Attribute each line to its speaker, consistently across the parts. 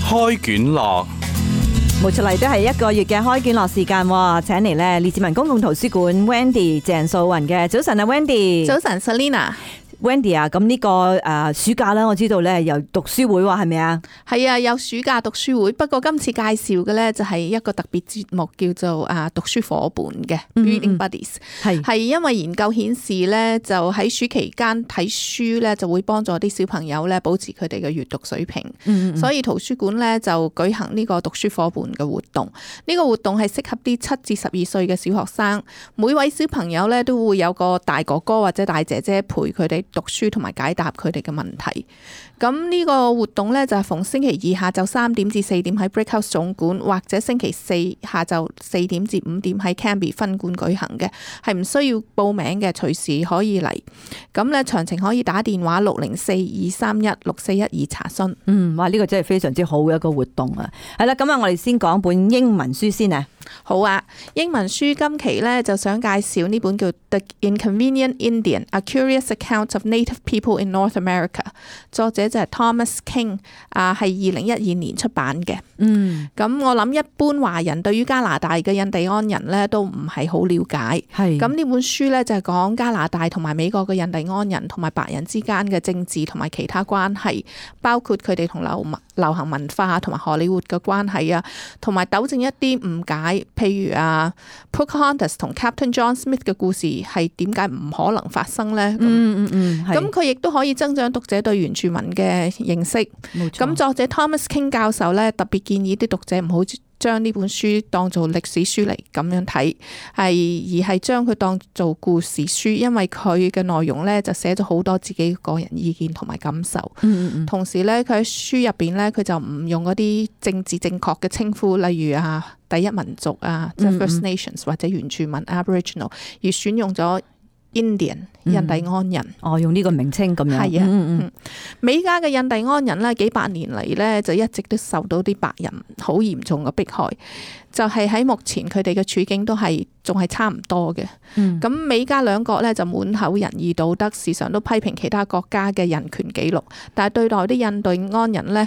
Speaker 1: 開卷樂，
Speaker 2: 冇出嚟都係一個月嘅開卷樂時間，請嚟咧列治文公共圖書館 Wendy 鄭素雲嘅。早晨啊 Wendy。
Speaker 3: 早晨 Selina。Wendy
Speaker 2: 啊，咁呢個暑假啦，我知道咧有讀書會話係咪啊？
Speaker 3: 係啊，有暑假讀書會，不過今次介紹嘅咧就係一個特別節目，叫做讀書夥伴嘅 Reading Buddies。係因為研究顯示咧，就喺暑期間睇書咧，就會幫助啲小朋友咧保持佢哋嘅閱讀水平。所以圖書館咧就舉行呢個讀書夥伴嘅活動。呢個活動係適合啲7至12歲嘅小學生，每位小朋友咧都會有個大哥哥或者大姐姐陪佢哋讀書同埋解答佢哋嘅問題。咁呢個活動呢，就係逢星期二下晝3點至4點喺 Brickhouse 總館，或者星期四下晝4點至5點喺 Cambie 分館舉行嘅，係唔需要報名嘅，隨時可以嚟。咁呢詳情可以打電話604-231-6412查詢。
Speaker 2: 哇！呢個真係非常之好嘅一個活動啊。係啦，咁啊，我哋先講本英文書先啊。
Speaker 3: 好啊，英文書今期呢，就想介紹呢本叫 The Inconvenient Indian: A Curious Account of Native People in North America， 作者就係 Thomas King， 係2012年出版嘅。咁我諗一般華人對於加拿大嘅印第安人呢都唔係好了解。咁呢本書呢，就係講加拿大同埋美國嘅印第安人同埋白人之間嘅政治同埋其他關係，包括佢哋同流行文化同埋荷里活嘅關係啊，同埋糾正一啲誤解，譬如Pocahontas 同 Captain John Smith 嘅故事係點解唔可能發生呢？咁佢亦都可以增長讀者對原住民嘅認識。咁作者 Thomas King 教授咧特別建議啲讀者唔好將呢本書當做歷史書嚟咁樣睇，而係將佢當做故事書，因為佢嘅內容咧就寫咗好多自己個人意見同埋感受。同時咧，佢喺書入邊咧，佢就唔用嗰啲政治正確嘅稱呼，例如第一民族即係 First Nations 或者原住民 Aboriginal， 而選用咗Indian 印第安人。
Speaker 2: 用呢個名稱咁樣。係啊，
Speaker 3: 美加嘅印第安人咧，幾百年嚟咧就一直都受到啲白人好嚴重嘅迫害，就係喺目前佢哋嘅處境都係仲係差唔多嘅。咁美加兩國咧就滿口仁義道德，時常都批評其他國家嘅人權紀錄，但係對待啲印第安人咧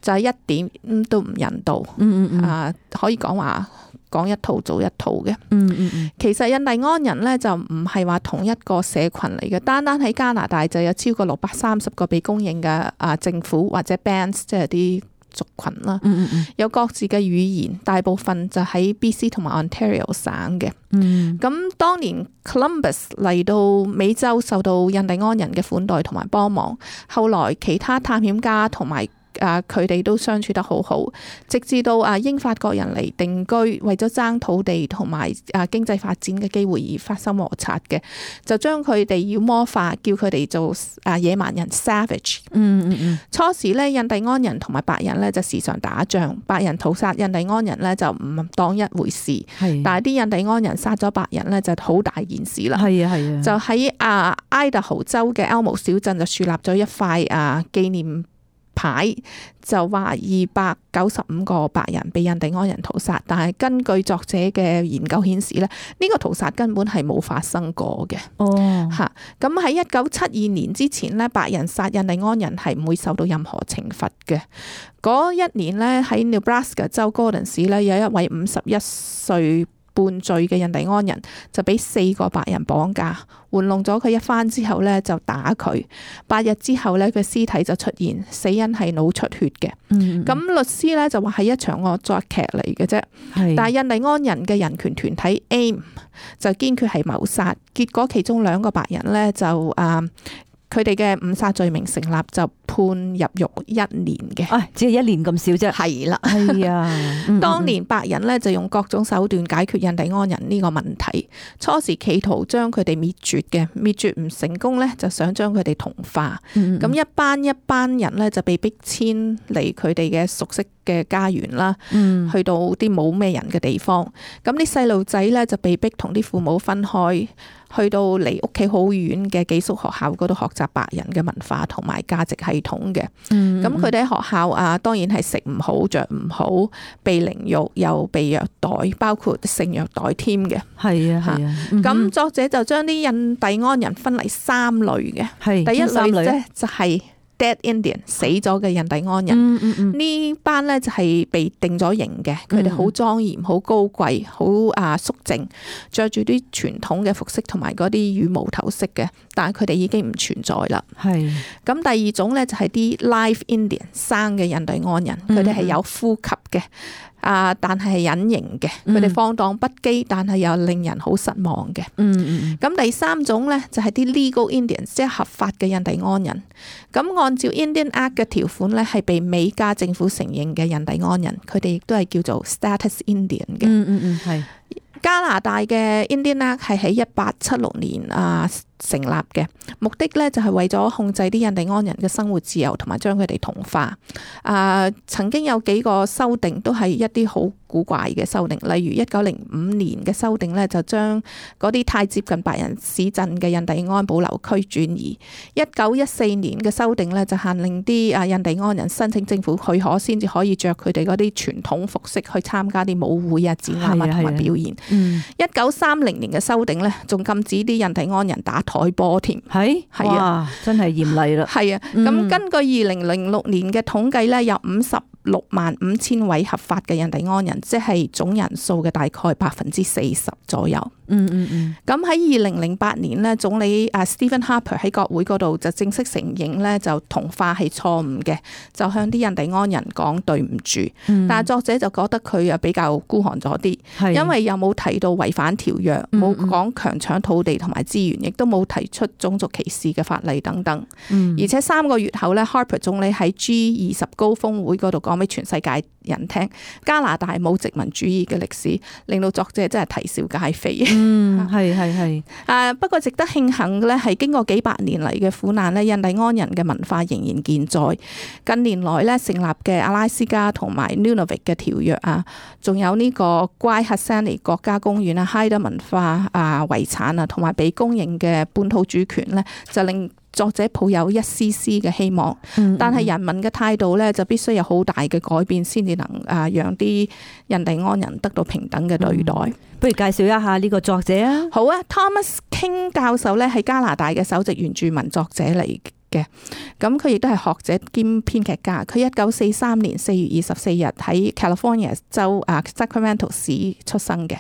Speaker 3: 就係一點都唔人道。可以講話講一套做一套嘅。其實印第安人咧就唔係話同一個社群嚟嘅，單單喺加拿大就有超過630個被公認嘅政府或者 bands， 即係啲族群啦。有各自嘅語言，大部分就喺 BC 同埋 Ontario 省嘅。咁當年 Columbus 嚟到美洲，受到印第安人嘅款待同埋幫忙，後來其他探險家同埋佢哋都相處得好好，直至到英法國人嚟定居，為咗爭土地同埋經濟發展嘅機會而發生摩擦嘅，就將佢哋妖魔化，叫佢哋做野蠻人 savage。初時咧，印第安人同埋白人咧就時常打仗，白人屠殺印第安人咧就唔當一回事，但係啲印第安人殺咗白人咧就好大件事啦。就喺Idaho 州嘅 Elmo 小鎮就樹立咗一塊紀念牌，就話295個白人被印第安人屠殺，但係根據作者嘅研究顯示咧，呢個屠殺根本係冇發生過嘅。咁喺1972年之前咧，白人殺印第安人係唔會受到任何懲罰嘅。嗰一年咧，喺 Nebraska 州 Gordon 市咧，有一位51歲半醉嘅印第安人就俾4個白人綁架，玩弄咗佢一番之後咧，就打佢。8日之後咧，佢屍體就出現，死因係腦出血嘅。咁律師咧就話係一場惡作劇嚟嘅啫。但係印第安人嘅人權團體 AIM 就堅決係謀殺，結果其中2個白人咧就佢哋嘅誤殺罪名成立，就判入獄1年嘅。
Speaker 2: 只係1年咁少啫。
Speaker 3: 係啦，
Speaker 2: 係啊。
Speaker 3: 當年白人咧就用各種手段解決印第安人呢個問題，初時企圖將佢哋滅絕嘅，滅絕唔成功咧，就想將佢哋同化。咁一班人咧就被逼遷離佢哋嘅熟悉嘅家園啦，去到啲冇咩人嘅地方。咁啲細路仔咧就被逼同啲父母分開，去到離屋企好遠嘅寄宿學校嗰度學習白人嘅文化同埋價值系統嘅。咁佢哋喺學校當然係食唔好着唔好，被凌辱又被虐待，包括性虐待添嘅。
Speaker 2: 係啊。
Speaker 3: 咁作者就將啲印第安人分為3類嘅。第一類咧就係 Dead Indian 死咗嘅印第安人，呢班咧就係被定咗刑嘅，佢哋好莊嚴、好高貴、好肅靜，着住啲傳統嘅服飾同埋嗰啲羽毛頭飾嘅，但係佢哋已經唔存在啦。係咁，第二種咧就係啲 Live Indian 生嘅印第安人，佢哋係有呼吸嘅。但係隱形嘅，佢哋放蕩不羈，但係又令人好失望嘅。咁第三種咧就係啲 legal Indians， 即係合法嘅印第安人。咁按照 Indian Act 嘅條款咧，係被美加政府承認嘅印第安人，佢哋亦都係叫做 Status Indian 嘅。係加拿大嘅 Indian Act 係喺1876年成立嘅，目的咧就係為咗控制啲印第安人嘅生活自由，同埋將佢哋同化。曾經有幾個修訂都係一啲好古怪嘅修訂，例如1905年嘅修訂咧，就將嗰啲太接近白人市鎮嘅印第安保留區轉移。1914年嘅修訂咧，就限令啲印第安人申請政府許可先至可以着佢哋嗰啲傳統服飾去參加啲舞會展覽同埋表演。1930年嘅修訂咧，仲禁止啲印第安人打台波添。係
Speaker 2: 哇，真係嚴厲啦。
Speaker 3: 係啊，咁根據2006年嘅統計咧，有565000位合法嘅印第安人，即係總人數嘅大概40%左右。咁喺2008年咧，總理Stephen Harper 喺國會嗰度就正式承認咧，就同化係錯誤嘅，就向啲印第安人講對唔住。但係作者就覺得佢比較孤寒咗啲，因為又冇提到違反條約，冇講強搶土地同埋資源，亦都冇提出種族歧視嘅法例等等。而且3個月後咧，Harper 總理喺 G20 高峰會嗰度講俾全世界人聽，加拿大冇殖民主義嘅歷史，令到作者真係啼笑皆非。係。不過值得慶幸嘅咧，係經過幾百年嚟嘅苦難咧，印第安人嘅文化仍然健在。近年來咧成立嘅阿拉斯加同埋 Nunavut 嘅條約仲有呢個 Gwaii-Haatsani 國家公園Haida 文化遺產同埋被公認嘅本土主權咧，就令作者抱有一絲絲嘅希望。但係人民嘅態度咧就必須有好大嘅改變，先至能讓啲印第安人得到平等嘅對待。
Speaker 2: 不如介紹一下呢個作者啊。
Speaker 3: 好啊，Thomas King 教授咧係加拿大嘅首席原住民作者嚟嘅，咁佢亦都係學者兼編劇家。佢1943年4月24日喺 California 州Sacramento 市出生嘅。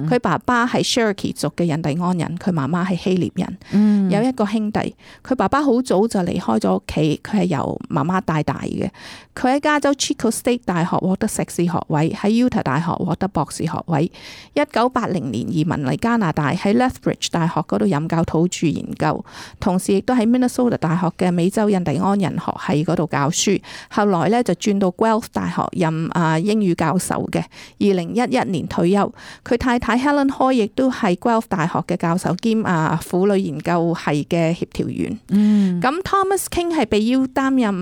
Speaker 3: 佢爸爸係 Cherokee 族嘅印第安人，佢媽媽係希臘人。有一個兄弟，佢爸爸好早就離開咗屋企，佢係由媽媽帶大嘅。佢喺加州 Chico State 大學獲得碩士學位，喺 Utah 大學獲得博士學位。1980年移民嚟加拿大，喺 Lethbridge 大學嗰度任教土著研究，同時亦都喺 Minnesota 大學嘅美洲印第安人學系嗰度教書。後來咧就轉到 Guelph 大學任英語教授嘅。2011年退休。佢太太 Helen Hoy 亦都係 Guelph 大學嘅教授兼婦女研究系嘅協調員。咁 Thomas King 係被邀擔任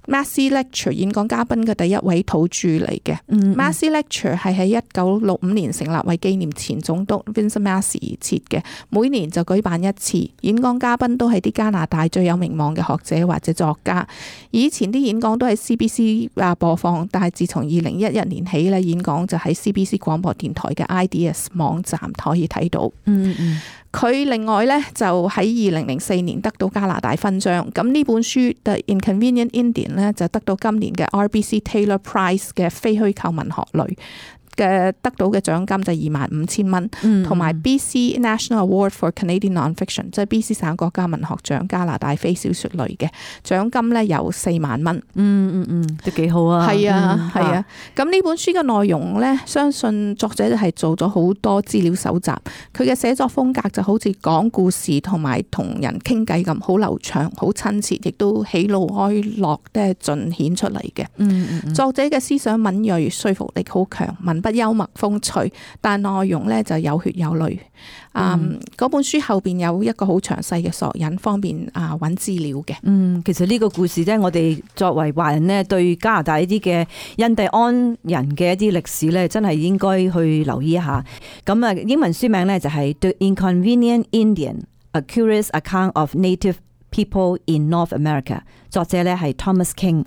Speaker 3: Massey Lecture 演講嘉賓嘅第一位土著嚟嘅。Massey Lecture 係喺1965年成立，為紀念前總督 Vincent Massey 而設嘅，每年就舉辦一次。演講嘉賓都係啲加拿大最有名望嘅學者或者作家。以前啲演講都喺 CBC 播放，但係自從2011年起咧，演講就喺 CBC 廣播電台嘅 IDS 網站可以睇到。佢另外咧就喺2004年得到加拿大勳章。咁呢本書 The Inconvenient Indian 咧就得到今年嘅 RBC Taylor Prize 嘅非虛構文學類嘅得到嘅獎金就25,000蚊，同埋 BC National Award for Canadian Non-Fiction， 即係 BC 省國家文學獎加拿大非小說類嘅獎金咧有4萬蚊。
Speaker 2: 都幾好啊。
Speaker 3: 係啊。咁呢本書嘅內容咧，相信作者係做咗好多資料搜集。佢嘅寫作風格就好似講故事同埋同人傾偈咁，好流暢、好親切，亦都喜怒哀樂咧盡顯出嚟嘅。作者嘅思想敏銳，說服力好強，文筆幽默風趣，但內容咧就有血有淚。嗰本書後邊有一個好詳細嘅索引，方便揾資料嘅。
Speaker 2: 其實呢個故事咧，我哋作為華人咧，對加拿大呢啲嘅印第安人嘅一啲歷史咧，真係應該去留意一下。咁英文書名咧就係 The Inconvenient Indian: A Curious Account of Native People in North America。作者咧係 Thomas King。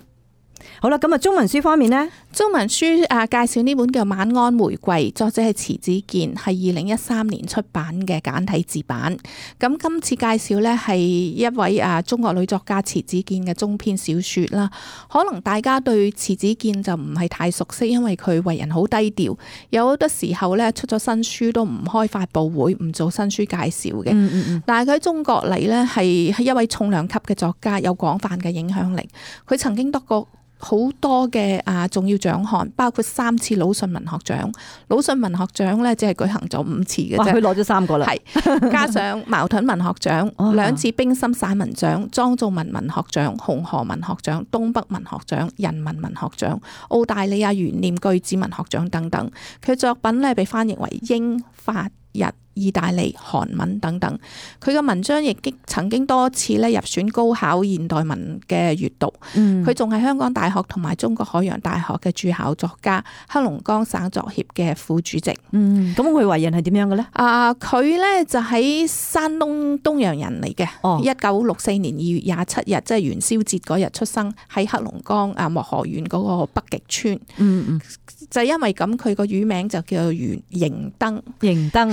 Speaker 2: 好啦，咁啊中文書方面呢？
Speaker 3: 中文書介紹呢本叫《晚安玫瑰》，作者係遲子建，係2013年出版嘅簡體字版。咁今次介紹呢係一位中國女作家遲子建嘅中篇小說啦。可能大家對遲子建就唔係太熟悉，因為佢為人好低調，有好多時候呢出咗新書都唔開發佈會，唔做新書介紹嘅。但係佢喺中國嚟呢係一位重量級嘅作家，有廣泛嘅影響力。佢曾經得過好多嘅重要獎項，包括3次魯迅文學獎。魯迅文學獎咧只係舉行咗5次嘅啫，
Speaker 2: 佢攞咗3個啦。
Speaker 3: 係加上矛盾文學獎、2次冰心散文獎、莊造文文學獎、紅河文學獎、東北文學獎、人民文學獎、澳大利亞懸念句子文學獎等等。佢作品咧被翻譯為英、法、日、意大利、韓文等等，佢嘅文章亦曾經多次咧入選高考現代文嘅閱讀。佢仲係香港大學同埋中國海洋大學嘅駐校作家，黑龍江省作協嘅副主席。
Speaker 2: 咁佢為人係點樣嘅咧？
Speaker 3: 佢咧就喺山東東陽人嚟嘅。1964年2月27日，即係元宵節嗰日出生，喺黑龍江漠河縣嗰個北極村。就因為咁，佢個乳名就叫做迎燈。迎燈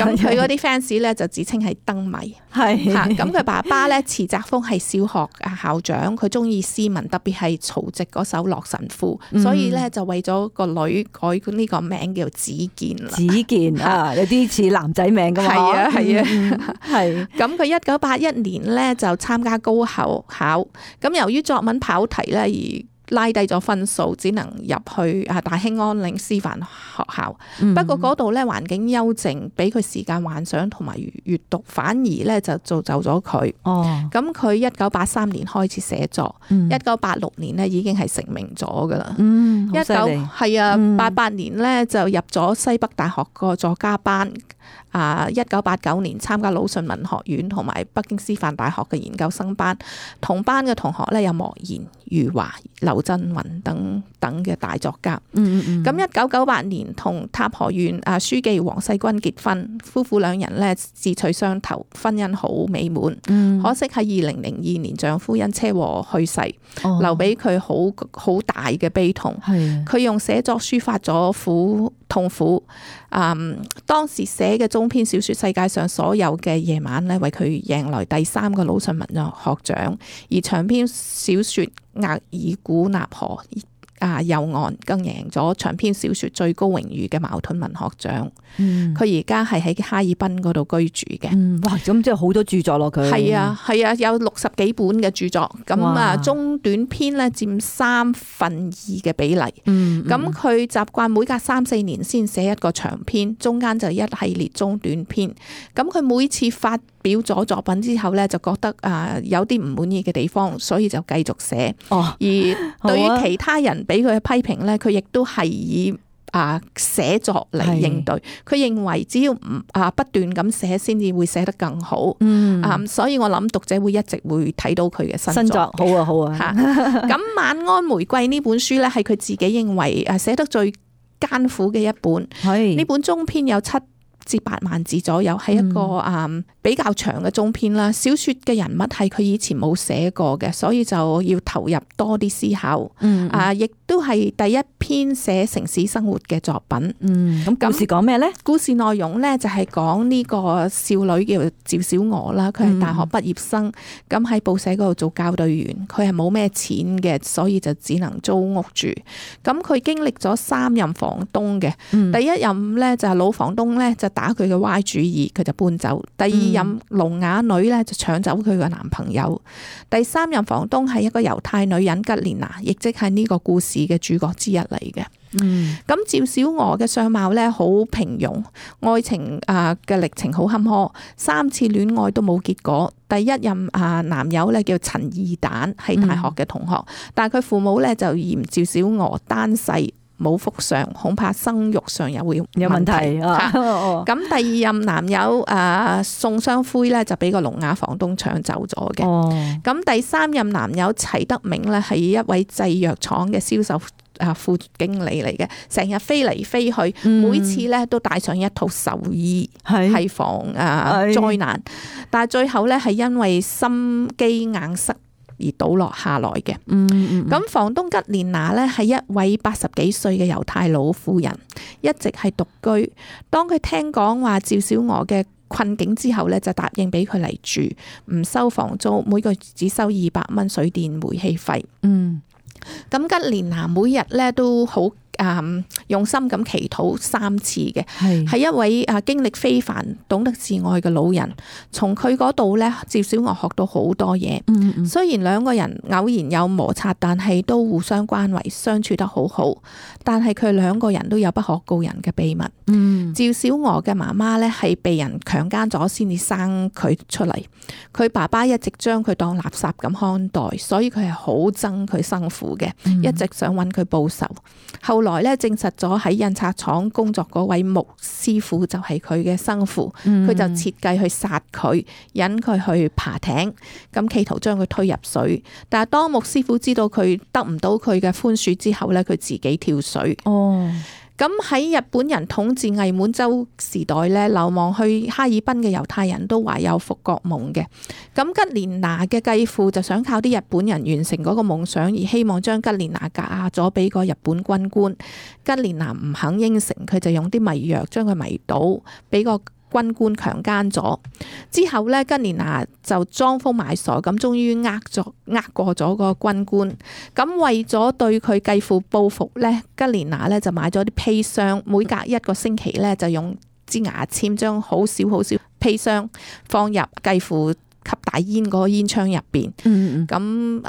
Speaker 3: 咁佢嗰啲 fans 咧就自稱係燈迷。係咁佢爸爸咧遲澤豐係小學校長，佢中意詩文，特別係曹植嗰首《洛神賦》，所以咧就為咗個女改呢個名叫子健啦。子健
Speaker 2: 有啲似男仔名噶嘛。
Speaker 3: 係啊。咁佢1981年咧就參加高考，咁由於作文跑題咧而拉低咗分數，只能入去大興安嶺師範學校。不過嗰度咧環境幽靜，俾佢時間幻想同埋閱讀，反而咧就造就咗佢。咁佢1983年開始寫作，1986年咧已經係成名咗噶啦。88年咧就入咗西北大學個作家班。1989年參加魯迅文學院同埋北京師範大學嘅研究生班，同班嘅同學咧有莫言、余華、劉震雲等等嘅大作家。咁1998年同塔河縣書記黃世軍結婚，夫婦兩人咧志趣相投，婚姻好美滿。可惜喺2002年丈夫因車禍去世，留俾佢好大嘅悲痛。佢用寫作抒發咗痛苦。當時寫嘅中篇小說《世界上所有嘅夜晚》咧，為佢贏來第3個魯迅文學獎，而長篇小說《額爾古納河》右岸更贏咗長篇小說最高榮譽嘅茅盾文學獎。佢而家係喺哈爾濱嗰度居住嘅。
Speaker 2: 哇！咁即係好多著作咯，佢
Speaker 3: 係啊，有60幾本嘅著作。咁中短篇咧佔2/3嘅比例。咁佢習慣每隔3-4年先寫一個長篇，中間就一系列中短篇。咁佢每次發表咗作品之後咧，就覺得有啲唔滿意嘅地方，所以就繼續寫。而對於其他人俾佢嘅批評咧，佢亦都係以寫作嚟應對。佢認為只要不斷咁寫，先至會寫得更好。所以我諗讀者會一直會睇到佢嘅新作。好啊。咁《晚安玫瑰》呢本書咧，係佢自己認為寫得最艱苦嘅一本。呢本中篇有7至8萬字左右，係一個比較長嘅中篇啦。小說嘅人物係佢以前冇寫過嘅，所以就要投入多啲思考。亦都係第一篇寫城市生活嘅作品。
Speaker 2: 咁故事講咩呢？
Speaker 3: 故事內容呢就係講呢個少女叫趙小娥啦，佢係大學畢業生，咁喺報社嗰度做校對員，佢係冇咩錢嘅，所以就只能租屋住。咁佢經歷咗3任房東嘅，第一任呢就係老房東呢就打佢嘅歪主意，佢就搬走。第2任聾啞女呢就搶走佢嘅男朋友。第3任房東係一個猶太女人吉蓮娜，亦即係呢個故事嘅主角之一嚟嘅。咁趙小娥嘅相貌咧好平庸，愛情嘅歷程好坎坷，3次戀愛都冇結果。第一任男友咧叫陳義蛋，係大學嘅同學，但係佢父母咧就嫌趙小娥單細冇福相，恐怕生育上又會有問題。咁第2任男友宋雙輝咧就俾個聾啞房東搶走咗嘅。咁第3任男友齊德明咧係一位製藥廠嘅銷售副經理嚟嘅，成日飛嚟飛去，每次咧都帶上一套壽衣，係防災難。但係最後咧係因為心肌硬塞而倒落下來嘅。咁房東吉蓮娜呢係一位80幾歲嘅猶太老婦人，一直係獨居。當佢聽講話趙小娥嘅困境之後呢，就答應俾佢嚟住，唔收房租，每個月只收200蚊水電煤氣費。咁吉蓮娜每日咧都好用心咁祈禱3次嘅，係一位經歷非凡、懂得自愛嘅老人。從佢嗰度咧，趙小娥學到好多嘢。雖然兩個人偶然有摩擦，但係都互相關懷，相處得好好。但係佢兩個人都有不可告人嘅秘密。趙小娥嘅媽媽咧係被人強姦咗先至生佢出嚟，佢爸爸一直將佢當垃圾咁看待，所以佢係好憎佢生父嘅，一直想揾佢報仇。後來咧證實咗喺印刷廠工作嗰位穆師傅就係佢嘅生父，佢就設計去殺佢，引佢去爬艇，咁企圖將佢推入水。但係當穆師傅知道佢得唔到佢嘅寬恕之後咧，佢自己跳水。咁喺日本人統治偽滿洲時代咧，流亡去哈爾濱嘅猶太人都懷有復國夢嘅。咁吉蓮娜嘅繼父就想靠啲日本人完成嗰個夢想，而希望將吉蓮娜嫁咗俾個日本軍官。吉蓮娜唔肯應承，佢就用啲迷藥將佢迷倒，俾個軍官強姦咗之後咧，吉蓮娜就裝瘋賣傻咁，終於呃過咗個軍官。咁為咗對佢繼父報復咧，吉蓮娜咧就買咗啲砒霜，每隔1個星期咧就用支牙籤將好少砒霜放入繼父吸大煙嗰個煙槍入邊。咁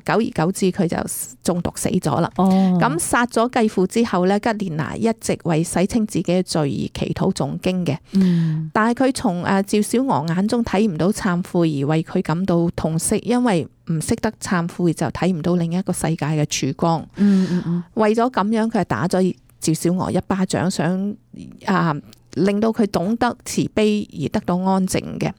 Speaker 3: 久而久之佢就中毒死咗啦。咁殺咗繼父之後咧，吉蓮娜一直為洗清自己嘅罪而祈禱誦經嘅。但係佢從趙小娥眼中睇唔到懺悔，而為佢感到痛惜，因為唔識得懺悔就睇唔到另一個世界嘅曙光。為咗咁樣，佢係打咗趙小娥一巴掌，想令到佢懂得慈悲而得到安靜嘅。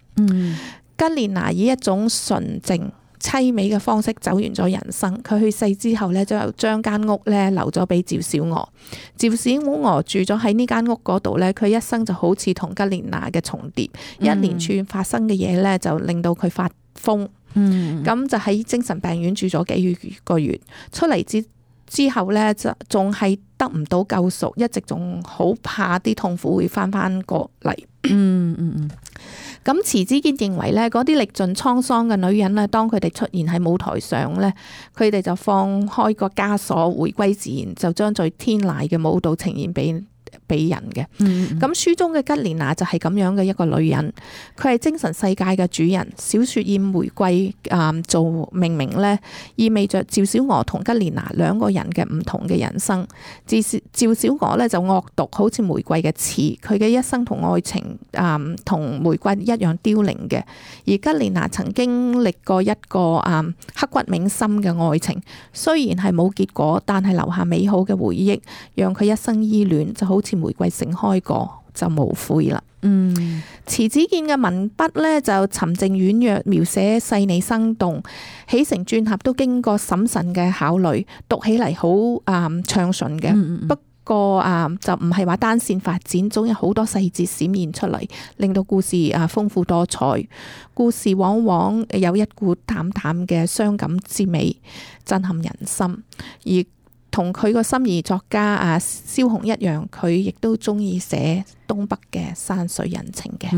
Speaker 3: 吉蓮娜以一種純淨凄美嘅方式走完咗人生。佢去世之後咧，就將間屋咧留咗俾趙小娥。趙小娥住咗喺呢間屋嗰度咧，佢一生就好似同吉蓮娜嘅重疊。一連串發生嘅嘢咧，就令到佢發瘋。咁就喺精神病院住咗幾個月，出嚟之後咧，就仲係得唔到救贖，一直仲好怕啲痛苦會翻過嚟。咁遲子建認為咧，嗰啲歷盡滄桑嘅女人咧，當佢哋出現喺舞台上咧，佢哋就放開個枷鎖，回歸自然，就將最天籟嘅舞蹈呈現俾人嘅。咁書中嘅吉蓮娜就係咁樣嘅一個女人，佢係精神世界嘅主人。小說以玫瑰做命名咧，意味着趙小娥同吉蓮娜兩個人嘅唔同嘅人生。趙小娥咧就惡毒，好似玫瑰嘅刺，佢嘅一生同愛情同玫瑰一樣凋零嘅。而吉蓮娜曾經歷過一個刻骨銘心嘅愛情，雖然係冇結果，但係留下美好嘅回憶，讓佢一生依戀，就好似玫瑰盛開過就無悔啦。遲子建嘅文筆咧就沉靜婉約，描寫細膩生動，起承轉合都經過審慎嘅考慮，讀起嚟好暢順嘅。不過就唔係話單線發展，總有好多細節閃現出嚟，令到故事豐富多彩。故事往往有一股淡淡嘅傷感之美，震撼人心。而同佢個心儀作家蕭紅一樣，佢亦都中意寫東北嘅山水人情嘅。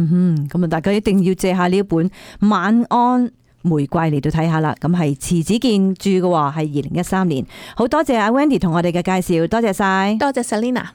Speaker 2: 咁大家一定要借下呢一本《晚安玫瑰》嚟到睇下啦。咁係遲子建著嘅，係2013年。好多謝阿 Wendy 同我哋嘅介紹，多謝晒，
Speaker 3: 多謝 Selina。